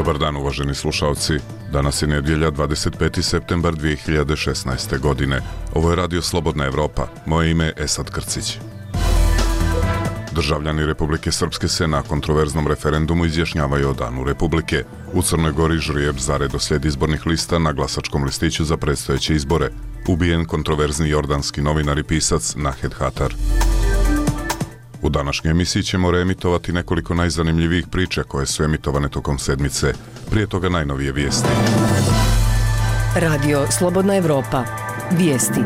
Dobar dan, uvaženi slušalci. Danas je nedjelja, 25. septembar 2016. godine. Ovo je Radio Slobodna Evropa. Moje ime je Esad Krcić. Državljani Republike Srpske se na kontroverznom referendumu izjašnjavaju o Danu Republike. U Crnoj Gori ždrijeb za redoslijed izbornih lista na glasačkom listiću za predstojeće izbore. Ubijen kontroverzni jordanski novinar i pisac Nahed Hatar. U današnjoj emisiji ćemo reemitovati nekoliko najzanimljivijih priča koje su emitovane tokom sedmice. Prije toga najnovije vijesti. Radio Slobodna Evropa. Vijesti.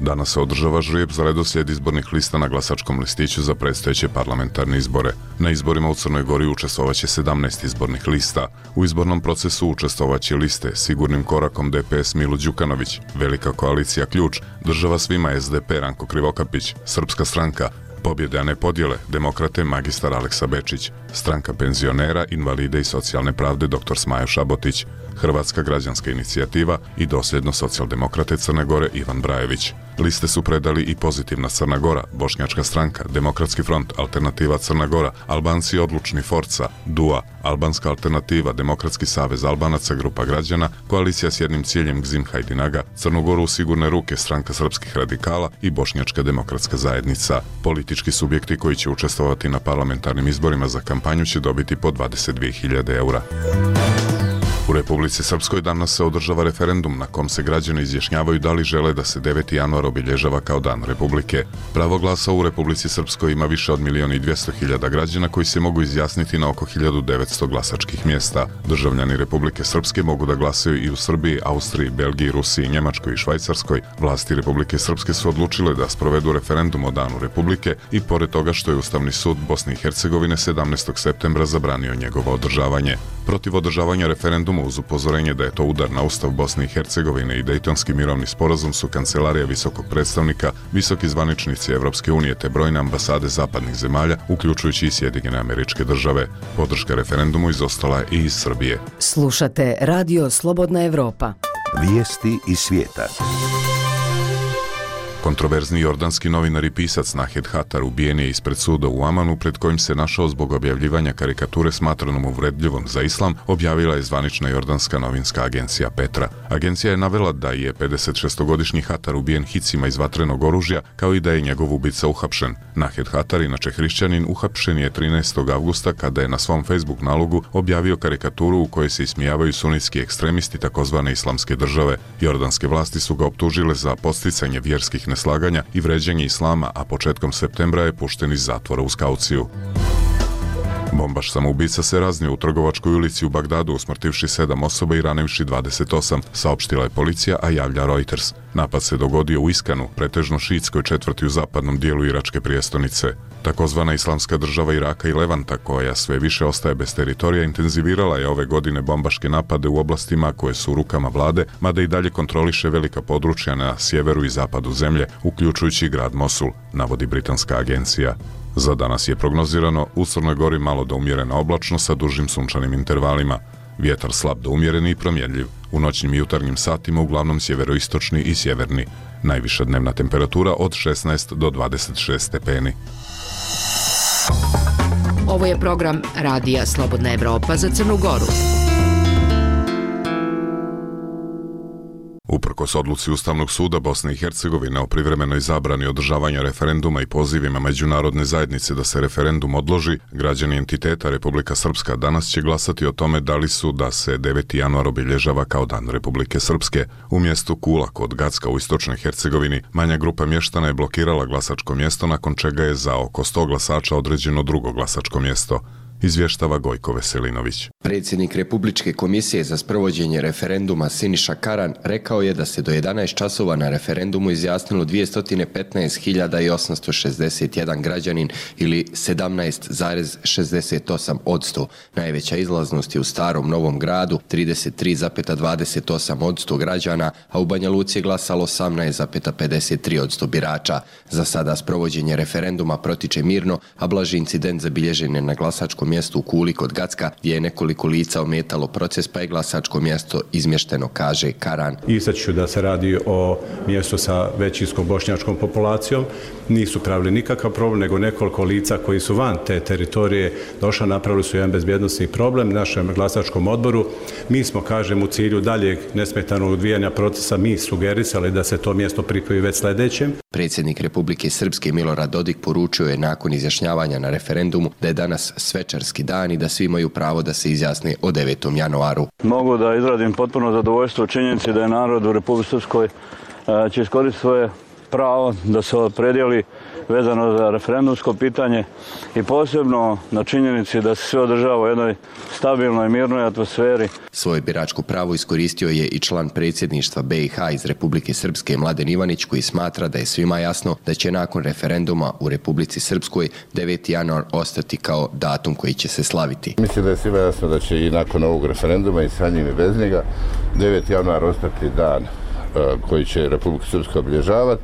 Danas se održava ždrijeb za redoslijed izbornih lista na glasačkom listiću za predstojeće parlamentarne izbore. Na izborima u Crnoj Gori učestvovaće 17 izbornih lista. U izbornom procesu učestvovaće liste Sigurnim korakom DPS Milo Đukanović, Velika koalicija Ključ, Država svima SDP Ranko Krivokapić, Srpska stranka, Pobjede a ne podjele, Demokrate magistar Aleksa Bečić, Stranka penzionera, invalide i socijalne pravde dr. Smajo Šabotić, Hrvatska građanska inicijativa i dosljedno socijaldemokrate Crne Gore Ivan Brajević. Liste su predali i Pozitivna Crna Gora, Bošnjačka stranka, Demokratski front, Alternativa Crna Gora, Albanci odlučni Forca, DUA, Albanska alternativa, Demokratski savez Albanaca, Grupa građana, Koalicija s jednim ciljem Gzim Hajdinaga, Crnu Goru u sigurne ruke, Stranka srpskih radikala i Bošnjačka demokratska zajednica. Politički subjekti koji će učestvovati na parlamentarnim izborima za kampanju će dobiti po 22.000 eura. U Republici Srpskoj danas se održava referendum na kom se građani izjašnjavaju da li žele da se 9. januar obilježava kao Dan Republike. Pravo glasa u Republici Srpskoj ima više od 1.200.000 građana koji se mogu izjasniti na oko 1900 glasačkih mjesta. Državljani Republike Srpske mogu da glasaju i u Srbiji, Austriji, Belgiji, Rusiji, Njemačkoj i Švajcarskoj. Vlasti Republike Srpske su odlučile da sprovedu referendum o Danu Republike i pored toga što je Ustavni sud Bosne i Hercegovine 17. septembra zabranio njegovo održavanje. Protiv održavanja referenduma uz upozorenje da je to udar na Ustav Bosne i Hercegovine i Dejtonski mirovni sporazum su Kancelarija visokog predstavnika, visoki zvaničnici Evropske unije te brojne ambasade zapadnih zemalja, uključujući i Sjedinjene Američke Države. Podrška referendumu izostala je i iz Srbije. Slušate Radio Slobodna Evropa. Vijesti iz svijeta. Kontroverzni jordanski novinar i pisac Nahed Hatar ubijen je ispred suda u Amanu, pred kojim se našao zbog objavljivanja karikature smatranom uvredljivom za islam, objavila je zvanična jordanska novinska agencija Petra. Agencija je navela da je 56-godišnji Hatar ubijen hicima iz vatrenog oružja, kao i da je njegov ubica uhapšen. Nahed Hatar, inače hrišćanin, uhapšen je 13. avgusta kada je na svom Facebook nalogu objavio karikaturu u kojoj se ismijavaju sunitski ekstremisti takozvane islamske države. Jordanske vlasti su ga optužile za podsticanje vjerskih neslaganja i vređanje islama, a početkom septembra je pušten iz zatvora uz kauciju. Bombaš samoubica se raznio u Trgovačkoj ulici u Bagdadu, usmrtivši 7 osoba i ranivši 28, saopštila je policija, a javlja Reuters. Napad se dogodio u Iskanu, pretežno šiitskoj četvrti u zapadnom dijelu iračke prijestolnice. Takozvana islamska država Iraka i Levanta, koja sve više ostaje bez teritorija, intenzivirala je ove godine bombaške napade u oblastima koje su u rukama vlade, mada i dalje kontroliše velika područja na sjeveru i zapadu zemlje, uključujući grad Mosul, navodi britanska agencija. Za danas je prognozirano u Crnoj Gori malo do umjerena oblačno sa dužim sunčanim intervalima. Vjetar slab do umjereni i promjenljiv. U noćnim i jutarnjim satima uglavnom sjeveroistočni i sjeverni. Najviša dnevna temperatura od 16 do 26 stepeni. Ovo je program Radija Slobodna Evropa za Crnu Goru. Uprkos odluci Ustavnog suda Bosne i Hercegovine o privremenoj zabrani održavanja referenduma i pozivima međunarodne zajednice da se referendum odloži, građani entiteta Republika Srpska danas će glasati o tome da li su da se 9. januar obilježava kao Dan Republike Srpske. U mjestu Kula kod Gacka u istočnoj Hercegovini manja grupa mještana je blokirala glasačko mjesto, nakon čega je za oko 100 glasača određeno drugo glasačko mjesto. Izvještava Gojko Veselinović. Predsjednik Republičke komisije za sprovođenje referenduma Siniša Karan rekao je da se do 11 časova na referendumu izjasnilo 215.861 građanin ili 17,68%. Najveća izlaznost je u Starom Novom Gradu 33,28% građana, a u Banja Luci je glasalo 18,53% birača. Za sada sprovođenje referenduma protiče mirno, a blaži incident zabilježen je na glasačkom mjestu u Kuli kod Gacka, gdje je nekoliko lica ometalo proces, pa je glasačko mjesto izmješteno, kaže Karan. Istaći ću da se radi o mjestu sa većinskom bošnjačkom populacijom. Nisu pravili nikakav problem, nego nekoliko lica koji su van te teritorije došla, napravili su jedan bezbjednosni problem našem glasačkom odboru. Mi smo, kažem, u cilju daljeg nesmetanog odvijanja procesa mi sugerisali da se to mjesto pripoji već sljedećem. Predsjednik Republike Srpske Milorad Dodik poručio je nakon izjašnjavanja na referendumu da je danas svečarski dan i da svi imaju pravo da se izjasne o 9. januaru. Mogu da izradim potpuno zadovoljstvo u činjenici da je narod u Republici Srpskoj će iskoristiti svoje pravo da se opredijeli vezano za referendumsko pitanje i posebno na činjenici da se sve održava u jednoj stabilnoj, mirnoj atmosferi. Svoje biračko pravo iskoristio je i član predsjedništva BiH iz Republike Srpske Mladen Ivanić, koji smatra da je svima jasno da će nakon referenduma u Republici Srpskoj 9. januar ostati kao datum koji će se slaviti. Mislim da je svima jasno da će i nakon ovog referenduma i sa njim i bez njega 9. januar ostati dan koji će Republika Srpska obilježavati,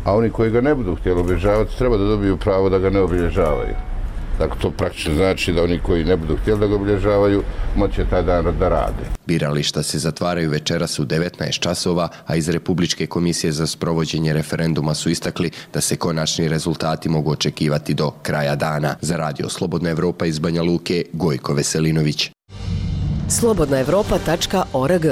a oni koji ga ne budu htjeli obilježavati treba da dobiju pravo da ga ne obilježavaju. Dakle, to praktično znači da oni koji ne budu htjeli da ga obilježavaju moće taj dan da rade. Birališta se zatvaraju večeras u 19 časova, a iz Republičke komisije za sprovođenje referenduma su istakli da se konačni rezultati mogu očekivati do kraja dana. Za Radio Slobodna Evropa iz Banja Luke, Gojko Veselinović. slobodnaevropa.org.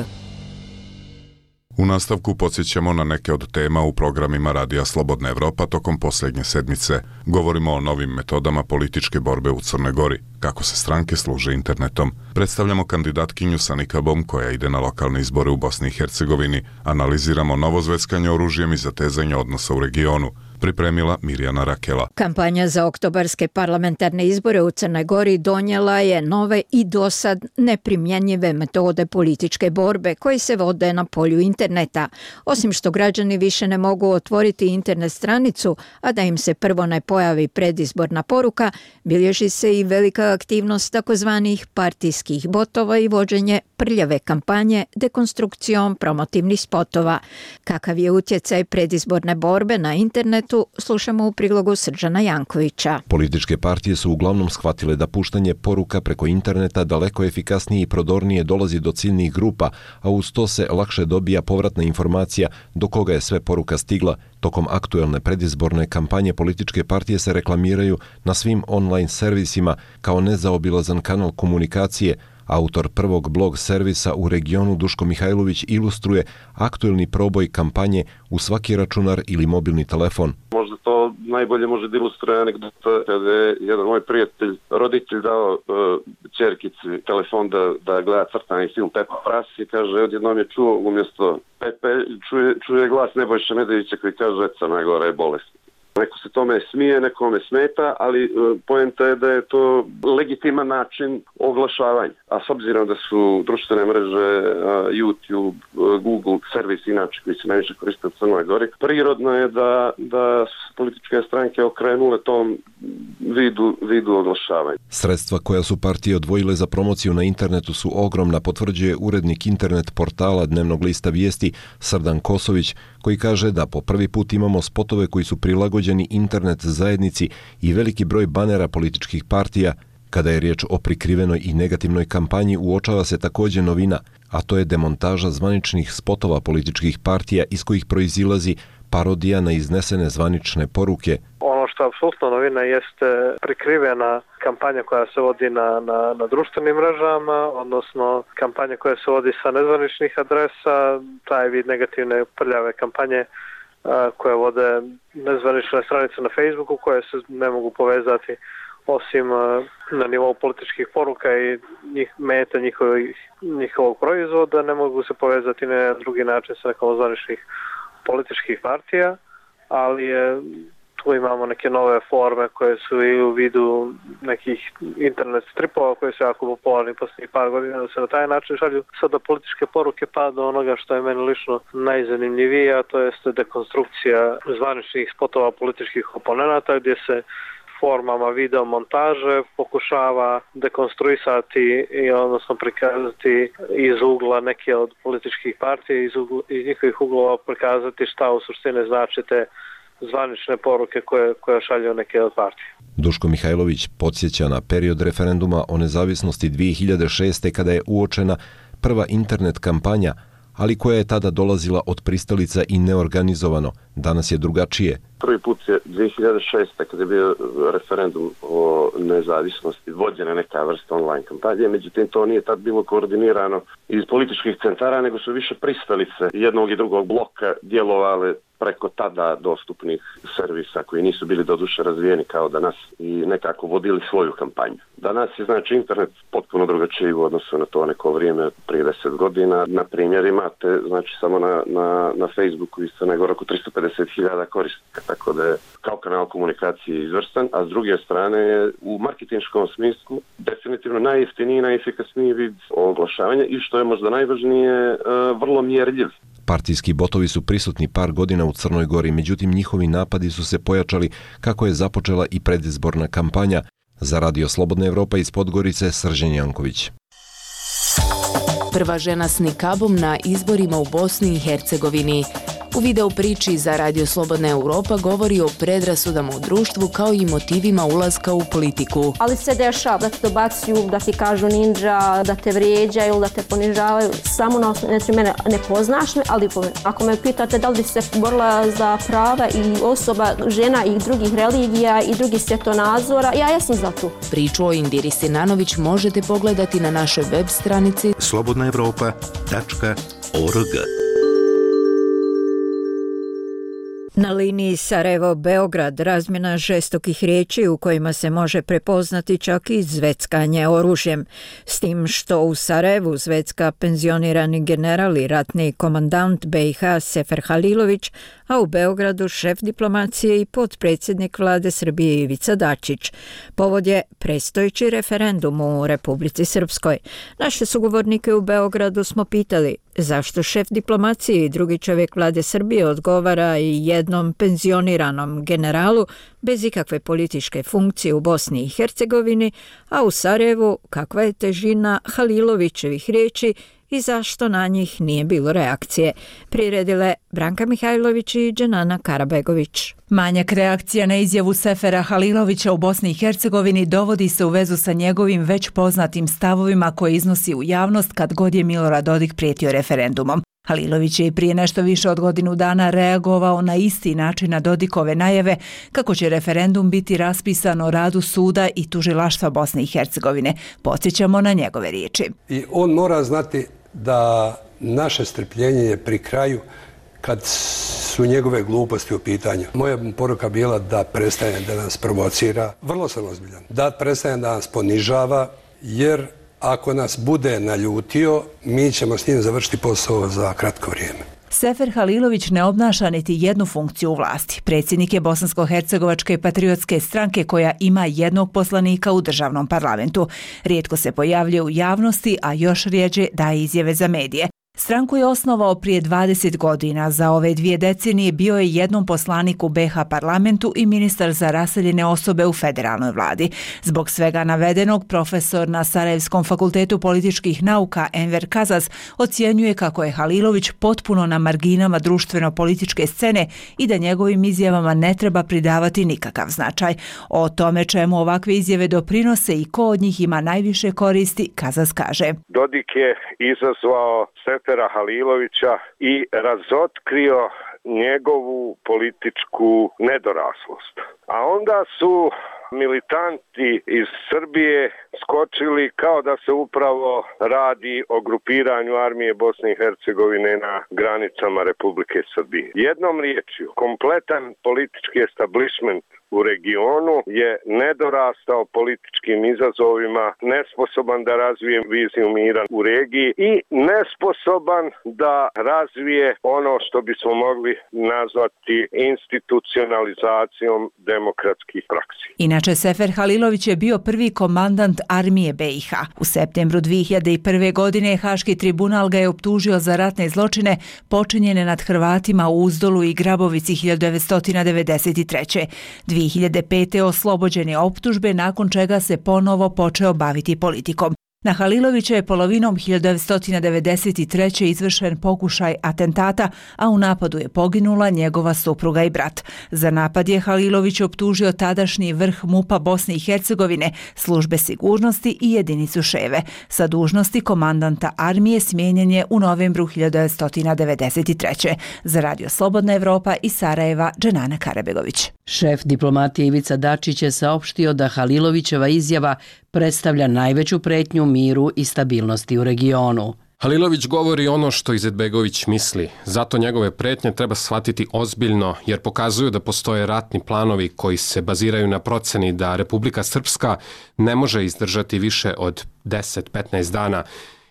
U nastavku podsjećamo na neke od tema u programima Radija Slobodna Evropa tokom posljednje sedmice. Govorimo o novim metodama političke borbe u Crnoj Gori, kako se stranke služe internetom. Predstavljamo kandidatkinju sa nikabom koja ide na lokalne izbore u Bosni i Hercegovini. Analiziramo novo zveckanje oružjem i zatezanje odnosa u regionu. Pripremila Mirjana Rakela. Kampanja za oktobarske parlamentarne izbore u Crnoj Gori donijela je nove i dosad neprimjenjive metode političke borbe koji se vode na polju interneta. Osim što građani više ne mogu otvoriti internet stranicu, a da im se prvo ne pojavi predizborna poruka, bilježi se i velika aktivnost takozvanih partijskih botova i vođenje prljave kampanje dekonstrukcijom promotivnih spotova. Kakav je utjecaj predizborne borbe na internetu, slušamo u prilogu Srđana Jankovića. Političke partije su uglavnom shvatile da puštanje poruka preko interneta daleko efikasnije i prodornije dolazi do ciljnih grupa, a uz to se lakše dobija povratna informacija do koga je sve poruka stigla. Tokom aktuelne predizborne kampanje političke partije se reklamiraju na svim online servisima kao nezaobilazan kanal komunikacije. Autor prvog blog servisa u regionu Duško Mihajlović ilustruje aktuelni proboj kampanje u svaki računar ili mobilni telefon. Možda to najbolje može da ilustruje anegdota kada je jedan moj prijatelj, roditelj dao ćerkici telefon da gleda crtani film Pepa Pras i kaže, odjednom je čuo umjesto Pepe, čuje glas Nebojše Medevića koji kaže, Crna Gora je bolest. Neko se tome smije, nekome smeta, ali poenta je da je to legitiman način oglašavanja. A s obzirom da su društvene mreže, YouTube, Google, servis inače koji se najviše koriste u Crnoj Gori, prirodno je da političke stranke okrenule tom vidu oglašavanja. Sredstva koja su partije odvojile za promociju na internetu su ogromna, potvrđuje urednik internet portala dnevnog lista Vijesti Srdan Kosović, koji kaže da po prvi put imamo spotove koji su prilagođeni internet zajednici i veliki broj banera političkih partija. Kada je riječ o prikrivenoj i negativnoj kampanji, uočava se također novina, a to je demontaža zvaničnih spotova političkih partija iz kojih proizilazi parodija na iznesene zvanične poruke. Ono što je apsolutno novina jeste prikrivena kampanja koja se vodi na društvenim mrežama, odnosno kampanja koja se vodi sa nezvaničnih adresa, taj vid negativne prljave kampanje koje vode nezvanične stranice na Facebooku koje se ne mogu povezati osim na nivou političkih poruka i meta njihovog proizvoda, ne mogu se povezati na drugi način sa nekom zvaničnih političkih partija, ali tu imamo neke nove forme koje su i u vidu nekih internet stripova koji su jako popularni posljednjih par godina, da se na taj način šalju sada političke poruke pa do onoga što je meni lično najzanimljivije, a to jeste dekonstrukcija zvaničnih spotova političkih oponenata gdje se formama video montaže pokušava dekonstruisati i odnosno prikazati iz ugla neke od političkih partija, iz njihovih uglova prikazati šta u suštini znači te zvanične poruke koje šalju neke od partije. Duško Mihajlović podsjeća na period referenduma o nezavisnosti 2006. kada je uočena prva internet kampanja, ali koja je tada dolazila od pristalica i neorganizovano. Danas je drugačije. Prvi put je 2006. kada je bio referendum o nezavisnosti vođena neka vrsta online kampanje, međutim to nije tad bilo koordinirano iz političkih centara, nego su više pristalice jednog i drugog bloka djelovale preko tada dostupnih servisa koji nisu bili doduše razvijeni kao danas i nekako vodili svoju kampanju. Danas je znači internet potpuno drugačiji u odnosu na to neko vrijeme prije 10 godina. Na primjer imate znači samo na Facebooku i Crnoj Gori oko 350.000 korisnika, tako da je kao kanal komunikacije izvrstan, a s druge strane je u marketinškom smislu definitivno najjeftiniji i najefikasniji vid oglašavanja i što je možda najvažnije vrlo mjerljiv. Partijski botovi su prisutni par godina u Crnoj Gori, međutim njihovi napadi su se pojačali kako je započela i predizborna kampanja. Za Radio Slobodna Evropa iz Podgorice, Srđan Janković. Prva žena s nikabom na izborima u Bosni i Hercegovini. U video priči za Radio Slobodna Evropa govori o predrasudama u društvu kao i motivima ulaska u politiku. Ali se dešava da te dobacuju, da ti kažu ninja, da te vrijeđaju, da te ponižavaju. Samo na osnovu, mene ne poznaš me, ali ako me pitate da li bi se borila za prava i osoba, žena i drugih religija i drugih svjetonazora, ja sam za to. Priču o Indiri Sinanović možete pogledati na našoj web stranici slobodnaevropa.org. Na liniji Sarajevo-Beograd razmjena žestokih riječi u kojima se može prepoznati čak i zveckanje oružjem. S tim što u Sarajevu zvecka penzionirani general i ratni komandant BiH Sefer Halilović, a u Beogradu šef diplomacije i potpredsjednik vlade Srbije Ivica Dačić. Povod je predstojeći referendum u Republici Srpskoj. Naše sugovornike u Beogradu smo pitali zašto šef diplomacije i drugi čovjek vlade Srbije odgovara i jednom penzioniranom generalu bez ikakve političke funkcije u Bosni i Hercegovini, a u Sarajevu kakva je težina Halilovićevih riječi i zašto na njih nije bilo reakcije. Priredile Branka Mihajlović i Dženana Karabegović. Manjak reakcija na izjavu Sefera Halilovića u Bosni i Hercegovini dovodi se u vezu sa njegovim već poznatim stavovima koje iznosi u javnost kad god je Milorad Dodik prijetio referendumom. Halilović je i prije nešto više od godinu dana reagovao na isti način na Dodikove najave kako će referendum biti raspisan o radu suda i tužilaštva Bosne i Hercegovine. Podsjećamo na njegove riječi. I on mora znati da naše strpljenje je pri kraju kad su njegove gluposti u pitanju. Moja poruka bila da prestane da nas provocira. Vrlo sam ozbiljan. Da prestane da nas ponižava, jer ako nas bude naljutio, mi ćemo s njim završiti posao za kratko vrijeme. Sefer Halilović ne obnaša niti jednu funkciju u vlasti. Predsjednik je Bosansko-hercegovačke patriotske stranke koja ima jednog poslanika u državnom parlamentu. Rijetko se pojavljuje u javnosti, a još rjeđe daje izjave za medije. Stranku je osnovao prije 20 godina. Za ove 2 decenije bio je jednom poslanik u BiH parlamentu i ministar za raseljene osobe u federalnoj vladi. Zbog svega navedenog, profesor na Sarajevskom fakultetu političkih nauka Enver Kazas ocjenjuje kako je Halilović potpuno na marginama društveno-političke scene i da njegovim izjavama ne treba pridavati nikakav značaj. O tome čemu ovakve izjave doprinose i ko od njih ima najviše koristi, Kazas kaže. Dodik je izazvao Sefera Halilovića i razotkrio njegovu političku nedoraslost. A onda su militanti iz Srbije skočili kao da se upravo radi o grupiranju armije Bosne i Hercegovine na granicama Republike Srbije. Jednom riječju, kompletan politički establishment u regionu je nedorastao političkim izazovima, nesposoban da razvije viziju mira u regiji i nesposoban da razvije ono što bismo mogli nazvati institucionalizacijom demokratskih praksi. Inače, Sefer Halilović je bio prvi komandant armije BiH. U septembru 2001. godine Haški tribunal ga je optužio za ratne zločine počinjene nad Hrvatima u Uzdolu i Grabovici 1993. 2005. oslobođen je optužbe, nakon čega se ponovo počeo baviti politikom. Na Halilovića je polovinom 1993. izvršen pokušaj atentata, a u napadu je poginula njegova supruga i brat. Za napad je Halilović optužio tadašnji vrh MUP-a Bosne i Hercegovine, službe sigurnosti i jedinicu Ševe. Sa dužnosti komandanta armije smijenjen je u novembru 1993. Za Radio Slobodna Evropa iz Sarajeva, Dženana Karabegović. Šef diplomatije Ivica Dačić je saopštio da Halilovićeva izjava predstavlja najveću pretnju miru i stabilnosti u regionu. Halilović govori ono što Izetbegović misli, zato njegove pretnje treba shvatiti ozbiljno jer pokazuju da postoje ratni planovi koji se baziraju na proceni da Republika Srpska ne može izdržati više od 10-15 dana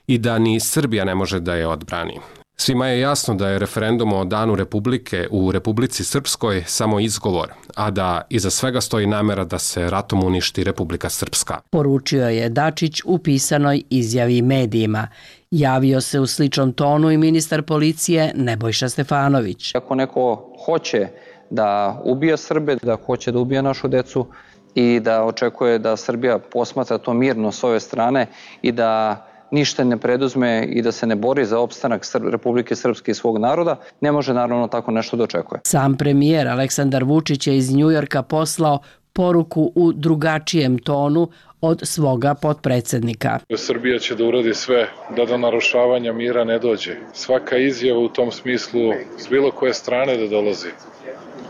i da ni Srbija ne može da je odbrani. Svima je jasno da je referendum o danu Republike u Republici Srpskoj samo izgovor, a da iza svega stoji namera da se ratom uništi Republika Srpska. Poručio je Dačić u pisanoj izjavi medijima. Javio se u sličnom tonu i ministar policije Nebojša Stefanović. Ako neko hoće da ubija Srbe, da hoće da ubija našu decu i da očekuje da Srbija posmatra to mirno s ove strane i da ništa ne preduzme i da se ne bori za opstanak Republike Srpske i svog naroda, ne može naravno tako nešto da očekuje. Sam premijer Aleksandar Vučić je iz Njujorka poslao poruku u drugačijem tonu od svoga potpredsednika. Srbija će da uradi sve da do narušavanja mira ne dođe. Svaka izjava u tom smislu s bilo koje strane da dolazi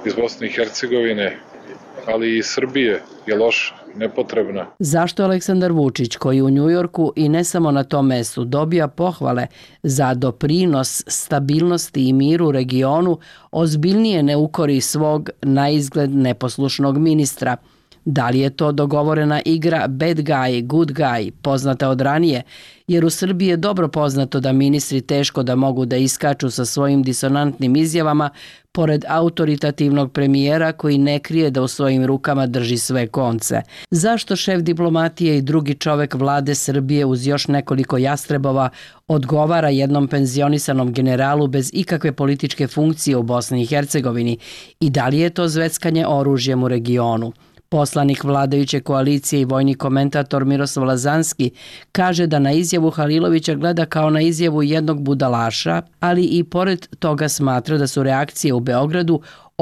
iz Bosne i Hercegovine, ali i iz Srbije je loša, nepotrebna. Zašto Aleksandar Vučić, koji u Njujorku i ne samo na tom mestu dobija pohvale za doprinos stabilnosti i miru u regionu, ozbiljnije ne ukori svog naizgled neposlušnog ministra? Da li je to dogovorena igra bad guy, good guy, poznata od ranije, jer u Srbiji je dobro poznato da ministri teško da mogu da iskaču sa svojim disonantnim izjavama pored autoritativnog premijera koji ne krije da u svojim rukama drži sve konce. Zašto šef diplomatije i drugi čovek vlade Srbije uz još nekoliko jastrebova odgovara jednom penzionisanom generalu bez ikakve političke funkcije u Bosni i Hercegovini i da li je to zveckanje oružjem u regionu? Poslanik vladajuće koalicije i vojni komentator Miroslav Lazanski kaže da na izjavu Halilovića gleda kao na izjavu jednog budalaša, ali i pored toga smatra da su reakcije u Beogradu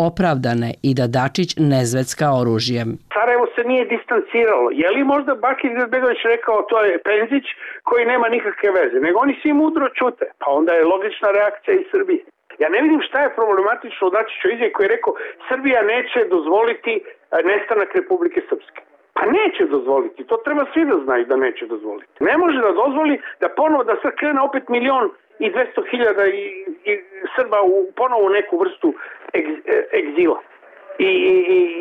opravdane i da Dačić ne zvecka oružjem. Sarajevo se nije distanciralo. Je li možda Bakir Izetbegović rekao to je Penzić koji nema nikakve veze, nego oni svi mudro čute, pa onda je logična reakcija iz Srbije. Ja ne vidim šta je problematično u Dačićevoj izjavi koji je rekao Srbija neće dozvoliti nestanak Republike Srpske. Pa neće dozvoliti, to treba svi da znaju da neće dozvoliti. Ne može da dozvoli da ponovo da sad krene opet 1.200.000 i Srba u ponovo neku vrstu egzila i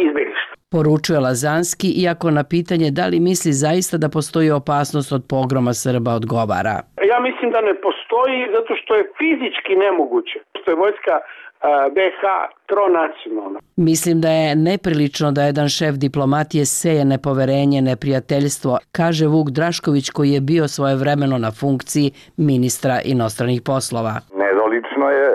izbeglištva. Poručuje Lazanski, iako na pitanje da li misli zaista da postoji opasnost od pogroma Srba odgovara. Ja mislim da ne postoji zato što je fizički nemoguće. Što je vojska BiH tronacionalna. Mislim da je neprilično da jedan šef diplomatije seje nepoverenje, neprijateljstvo, kaže Vuk Drašković koji je bio svojevremeno na funkciji ministra inostranih poslova. Nedolično je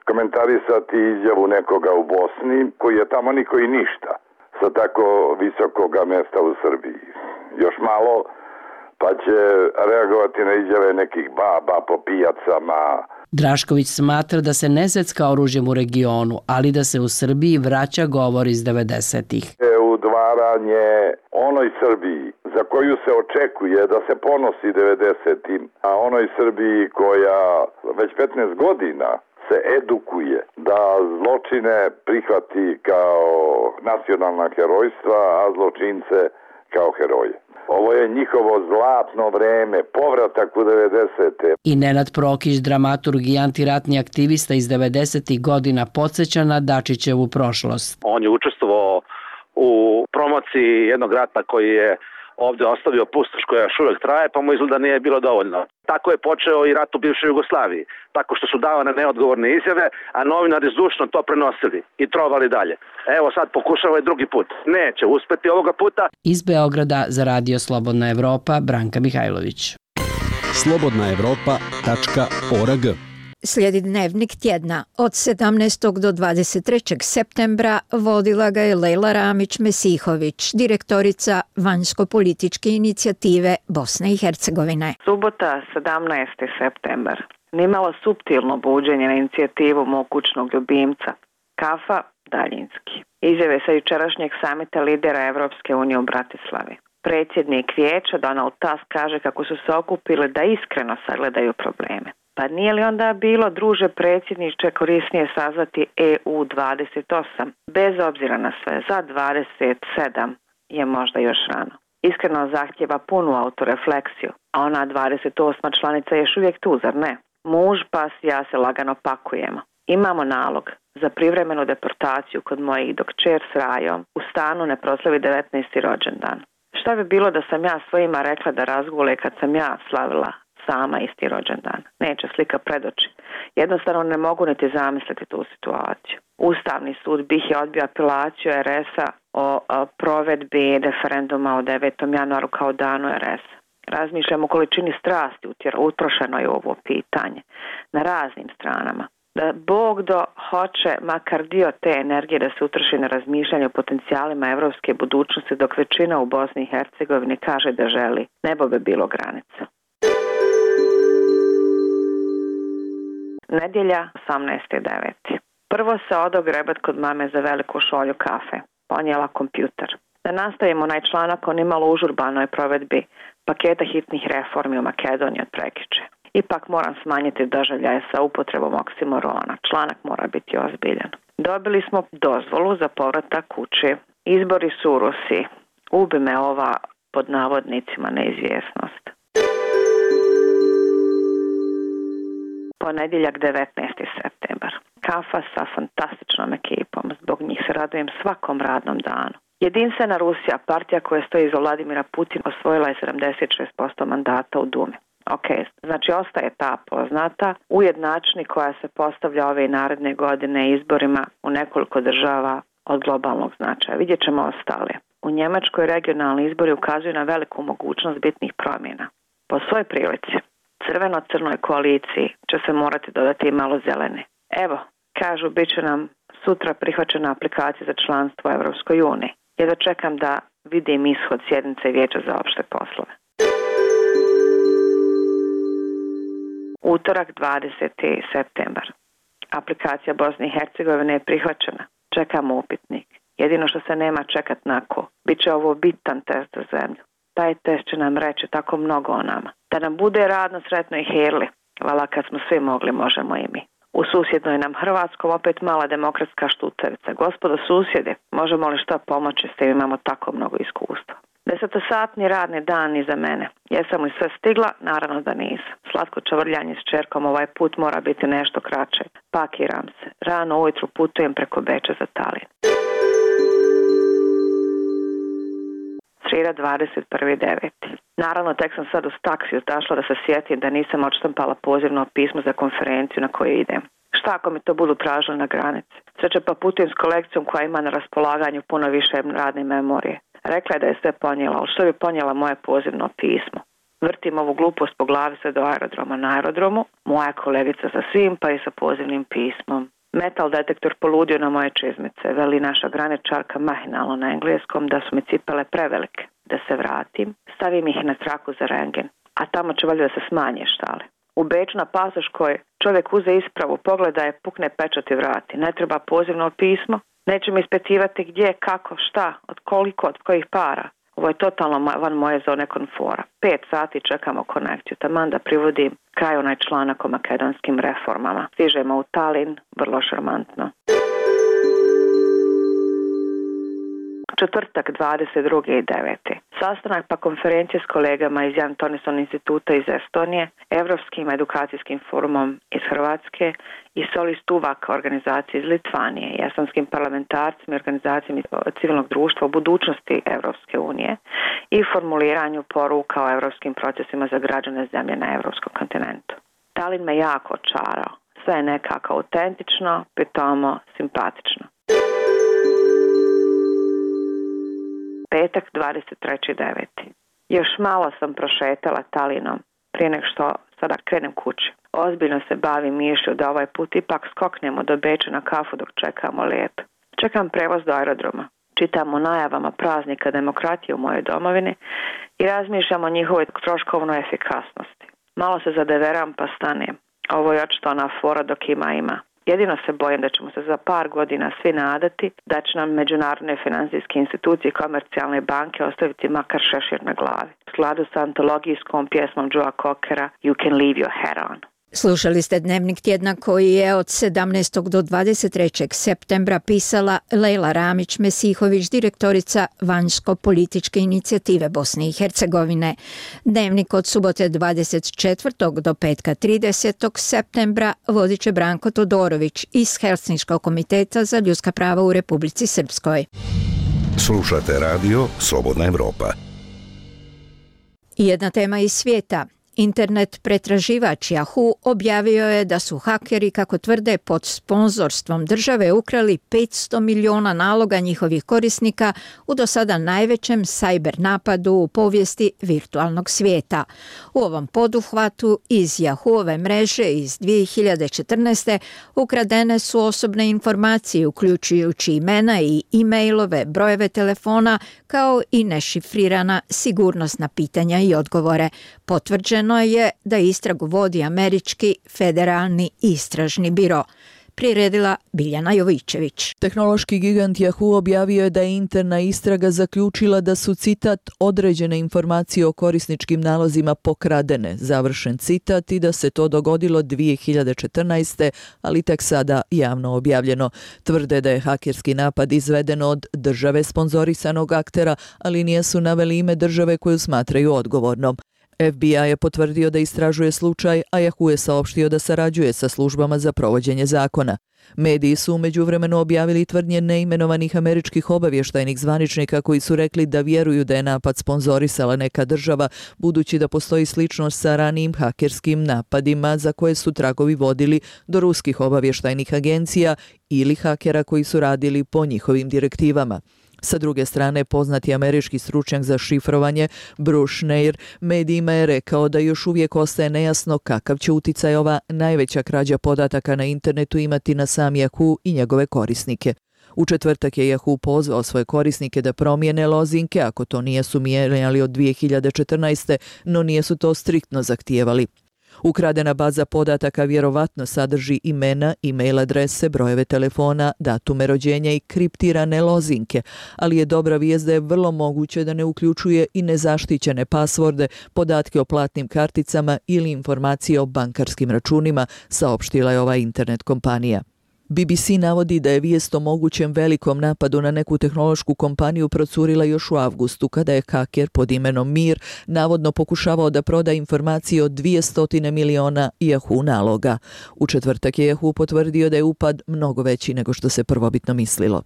komentarisati izjavu nekoga u Bosni koji je tamo niko i ništa sa tako visokoga mjesta u Srbiji. Još malo pa će reagovati na izjave nekih baba po pijacama. Drašković smatra da se ne zvecka oružjem u regionu, ali da se u Srbiji vraća govor iz 90-ih. Udvaranje onoj Srbiji za koju se očekuje da se ponosi 90-im, a onoj Srbiji koja već 15 godina se edukuje da zločine prihvati kao nacionalna herojstva, a zločince kao heroje. Ovo je njihovo zlatno vreme, povratak u 90. I Nenad Prokić, dramaturg i antiratni aktivista iz 90. godina, podsjeća na Dačićevu prošlost. On je učestvovao u promociji jednog rata koji je ovdje ostavio pustoš koja još uvijek traje, pa mu izgleda nije bilo dovoljno. Tako je počeo i rat u bivšoj Jugoslaviji, tako što su davane neodgovorne izjave, a novinari zdušno to prenosili i trovali dalje. Evo sad pokušava i drugi put. Neće uspeti ovoga puta. Iz Beograda za Radio Slobodna Evropa, Branka Mihajlović. slobodnaevropa.org Slijedi dnevnik tjedna. Od 17. do 23. septembra vodila ga je Lejla Ramić-Mesihović, direktorica vanjsko-političke inicijative Bosne i Hercegovine. Subota, 17. septembar. Nimalo suptilno buđenje na inicijativu mog kućnog ljubimca. Kafa daljinski. Izjave sa jučerašnjeg samita lidera Evropske unije u Bratislavi. Predsjednik vijeća Donald Tusk kaže kako su se okupili da iskreno sagledaju probleme. Pa nije li onda bilo, druže predsjedniče, korisnije sazvati EU 28, bez obzira na sve, za 27 je možda još rano. Iskreno zahtjeva punu autorefleksiju, a ona 28. članica je još uvijek tu, zar ne? Muž, pas i ja se lagano pakujemo. Imamo nalog za privremenu deportaciju kod mojih dok kćer s Rajom u stanu ne proslavi 19. rođendan. Šta bi bilo da sam ja svojima rekla da razgule kad sam ja slavila sama isti rođendan? Neće slika pred oči. Jednostavno ne mogu niti zamisliti tu situaciju. Ustavni sud BiH je odbio apelaciju RS-a o provedbi referenduma o 9. januaru kao danu RS-a. Razmišljam o količini strasti utrošenoj u ovo pitanje na raznim stranama. Da Bog hoće makar dio te energije da se utroši na razmišljanje o potencijalima evropske budućnosti, dok većina u Bosni i Hercegovini kaže da želi. Nebo bi bilo granica. Nedjelja, 18.9. Prvo se odo grebat kod mame za veliku šolju kafe. Ponijela kompjuter. Da nastavimo onaj članak o nimalo užurbanoj provedbi paketa hitnih reformi u Makedoniji od prekjuče. Ipak moram smanjiti doživljaje sa upotrebom oksimorona. Članak mora biti ozbiljan. Dobili smo dozvolu za povratak kući. Izbori su u Rusiji. Ubi me ova, pod navodnicima, neizvjesnost. Ponedjeljak, 19. septembar. Kafa sa fantastičnom ekipom. Zbog njih se radujem svakom radnom danu. Jedinstvena Rusija, partija koja stoji iza Vladimira Putina, osvojila je 76% mandata u Dumi. Ok, znači ostaje ta poznata ujednačni koja se postavlja ove i naredne godine izborima u nekoliko država od globalnog značaja. Vidjet ćemo ostale. U Njemačkoj regionalni izbori ukazuju na veliku mogućnost bitnih promjena. Po svoj prilici, crveno-crnoj koaliciji će se morati dodati i malo zelene. Evo, kažu, bit će nam sutra prihvaćena aplikacija za članstvo u Evropskoj uniji. Jedva čekam da vidim ishod sjednice Vijeća za opšte poslove. Utorak, 20. septembar. Aplikacija Bosne i Hercegovine je prihvaćena. Čekamo upitnik. Jedino što se nema čekat na ko. Biće ovo bitan test za zemlju. Taj test će nam reći tako mnogo o nama. Da nam bude radno, sretno i herli. Vala kad smo svi mogli, možemo i mi. U susjednoj nam Hrvatskom opet mala demokratska štucavica. Gospodo susjedi, možemo li što pomoći s tim, imamo tako mnogo iskustva. 10-satni radni dan iza mene. Jesam li sve stigla? Naravno da nisam. Slatko čavrljanje s čerkom ovaj put mora biti nešto kraće. Pakiram se. Rano ujutru putujem preko Beča za Talin. Srijeda, 21.9. Naravno, tek sam sad uz taksiju došla da se sjetim da nisam odštampala pozivno pismo za konferenciju na koju idem. Šta ako mi to budu tražili na granici? Sreće pa putujem s kolekcijom koja ima na raspolaganju puno više radne memorije. Rekla je da je sve ponijela, ali što bi ponijela moje pozivno pismo? Vrtim ovu glupost po glavi sve do aerodroma. Na aerodromu moja kolegica sa svim pa i sa pozivnim pismom. Metal detektor poludio na moje čizmice. Veli naša graničarka mahinalno na engleskom da su mi cipele prevelike. Da se vratim, stavim ih na traku za rengen. A tamo će valjda da se smanje štale. U Beču na pasoškoj čovjek uze ispravu, pogleda je, pukne pečat i vrati. Ne treba pozivno pismo. Neće mi ispitivati gdje, kako, šta, od koliko, od kojih para. Ovo je totalno van moje zone komfora. 5 sati čekamo konekciju. Taman da privodim kraj onaj članak o makedonskim reformama. Stižemo u Talin, vrlo šarmantno. Četvrtak, 22.9. Sastanak pa konferencije s kolegama iz Jan Tonison instituta iz Estonije, Evropskim edukacijskim forumom iz Hrvatske i Solis Tuvak organizacije iz Litvanije i estonskim parlamentarcima i organizacijama civilnog društva o budućnosti Evropske unije i formuliranju poruka o evropskim procesima za građane zemlje na evropskom kontinentu. Talin me jako očarao. Sve je nekako autentično, pitomo, simpatično. Petak, 23.9. Još malo sam prošetala Talinom prije nego što sada krenem kući. Ozbiljno se bavim mišlju da ovaj put ipak skoknemo do Beča na kafu dok čekamo let. Čekam prevoz do aerodroma. Čitam o najavama praznika demokratije u mojoj domovini i razmišljam o njihovoj troškovnoj efikasnosti. Malo se zadeveram pa stanem. Ovo je očito ona fora dok ima. Jedino se bojim da ćemo se za par godina svi nadati da će nam međunarodne financijske institucije i komercijalne banke ostaviti makar šešir na glavi. U skladu sa antologijskom pjesmom Joea Cockera You Can Leave Your Hat On. Slušali ste Dnevnik tjedna koji je od 17. do 23. septembra pisala Lejla Ramić-Mesihović, direktorica Vanjsko-političke inicijative Bosne i Hercegovine. Dnevnik od subote 24. do petka 30. septembra vodit će Branko Todorović iz Helsinškog komiteta za ljudska prava u Republici Srpskoj. Slušate radio Slobodna Evropa. I jedna tema iz svijeta. Internet pretraživač Yahoo objavio je da su hakeri, kako tvrde, pod sponzorstvom države ukrali 500 miliona naloga njihovih korisnika u do sada najvećem cyber napadu u povijesti virtualnog svijeta. U ovom poduhvatu iz Yahoo-ove mreže iz 2014. ukradene su osobne informacije, uključujući imena i e-mailove, brojeve telefona, kao i nešifrirana sigurnosna pitanja i odgovore. Potvrđeno je da istragu vodi Američki federalni istražni biro. Priredila Biljana Jovićević. Tehnološki gigant Yahoo objavio je da je interna istraga zaključila da su, citat, određene informacije o korisničkim nalozima pokradene, završen citat, i da se to dogodilo 2014. ali tek sada javno objavljeno. Tvrde da je hakerski napad izveden od države sponzorisanog aktera, ali nisu naveli ime države koju smatraju odgovornom. FBI je potvrdio da istražuje slučaj, a Yahoo je saopštio da sarađuje sa službama za provođenje zakona. Mediji su u međuvremenu objavili tvrdnje neimenovanih američkih obavještajnih zvaničnika koji su rekli da vjeruju da je napad sponzorisala neka država, budući da postoji sličnost sa ranijim hakerskim napadima za koje su tragovi vodili do ruskih obavještajnih agencija ili hakera koji su radili po njihovim direktivama. Sa druge strane, poznati američki stručnjak za šifrovanje Bruce Schneier medijima je rekao da još uvijek ostaje nejasno kakav će uticaj ova najveća krađa podataka na internetu imati na sam Yahoo i njegove korisnike. U četvrtak je Yahoo pozvao svoje korisnike da promijene lozinke ako to nisu mijenjali od 2014. no nisu to striktno zahtijevali. Ukradena baza podataka vjerovatno sadrži imena, e-mail adrese, brojeve telefona, datume rođenja i kriptirane lozinke, ali je dobra vijest da je vrlo moguće da ne uključuje i nezaštićene pasvorde, podatke o platnim karticama ili informacije o bankarskim računima, saopštila je ova internet kompanija. BBC navodi da je vijest o mogućem velikom napadu na neku tehnološku kompaniju procurila još u avgustu, kada je haker pod imenom Mir navodno pokušavao da proda informacije o 200 miliona Yahoo naloga. U četvrtak je Yahoo potvrdio da je upad mnogo veći nego što se prvobitno mislilo.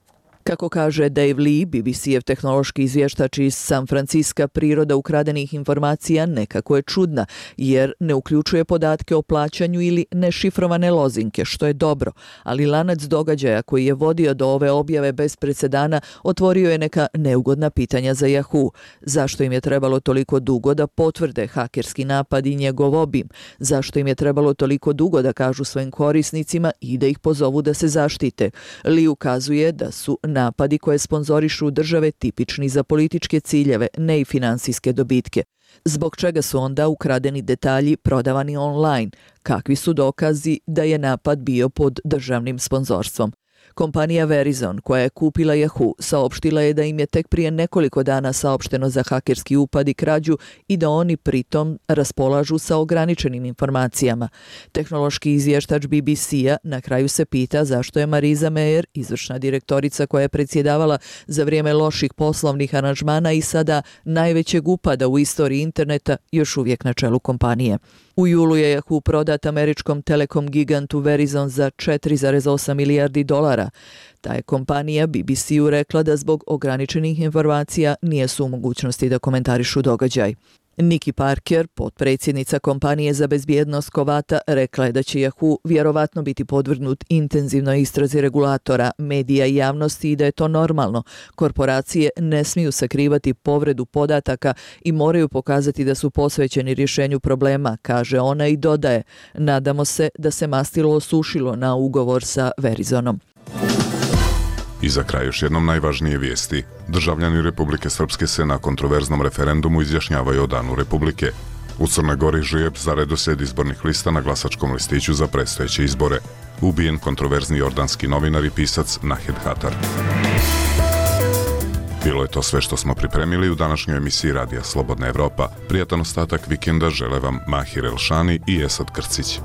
Kako kaže Dave Lee, BBC-ev tehnološki izvještač iz San Francisca, priroda ukradenih informacija nekako je čudna, jer ne uključuje podatke o plaćanju ili nešifrovane lozinke, što je dobro, ali lanac događaja koji je vodio do ove objave bez presedana otvorio je neka neugodna pitanja za Yahoo. Zašto im je trebalo toliko dugo da potvrde hakerski napad i njegov obim? Zašto im je trebalo toliko dugo da kažu svojim korisnicima i da ih pozovu da se zaštite? Lee ukazuje da su napadi koje sponzorišu države tipični za političke ciljeve, ne i finansijske dobitke. Zbog čega su onda ukradeni detalji prodavani online? Kakvi su dokazi da je napad bio pod državnim sponzorstvom? Kompanija Verizon, koja je kupila Yahoo, saopštila je da im je tek prije nekoliko dana saopšteno za hakerski upad i krađu i da oni pritom raspolažu sa ograničenim informacijama. Tehnološki izvještač BBC-a na kraju se pita zašto je Marisa Mayer, izvršna direktorica koja je predsjedavala za vrijeme loših poslovnih aranžmana i sada najvećeg upada u istoriji interneta, još uvijek na čelu kompanije. U julu je Yahoo prodat američkom telekom gigantu Verizon za $4,8 milijardi. Ta je kompanija BBC-u rekla da zbog ograničenih informacija nije su u mogućnosti da komentarišu događaj. Nikki Parker, potpredsjednica kompanije za bezbjednost Kovata, rekla je da će Yahoo vjerovatno biti podvrgnut intenzivnoj istrazi regulatora, medija i javnosti i da je to normalno. Korporacije ne smiju sakrivati povredu podataka i moraju pokazati da su posvećeni rješenju problema, kaže ona i dodaje: nadamo se da se mastilo osušilo na ugovor sa Verizonom. I za kraj još jednom najvažnije vijesti. Državljani Republike Srpske se na kontroverznom referendumu izjašnjavaju o Danu Republike. U Crnoj Gori žrijeb za redoslijed izbornih lista na glasačkom listiću za predstojeće izbore. Ubijen kontroverzni jordanski novinar i pisac Nahed Hatar. Bilo je to sve što smo pripremili u današnjoj emisiji Radija Slobodna Evropa. Prijatan ostatak vikenda žele vam Mahir Elšani i Esad Krcić.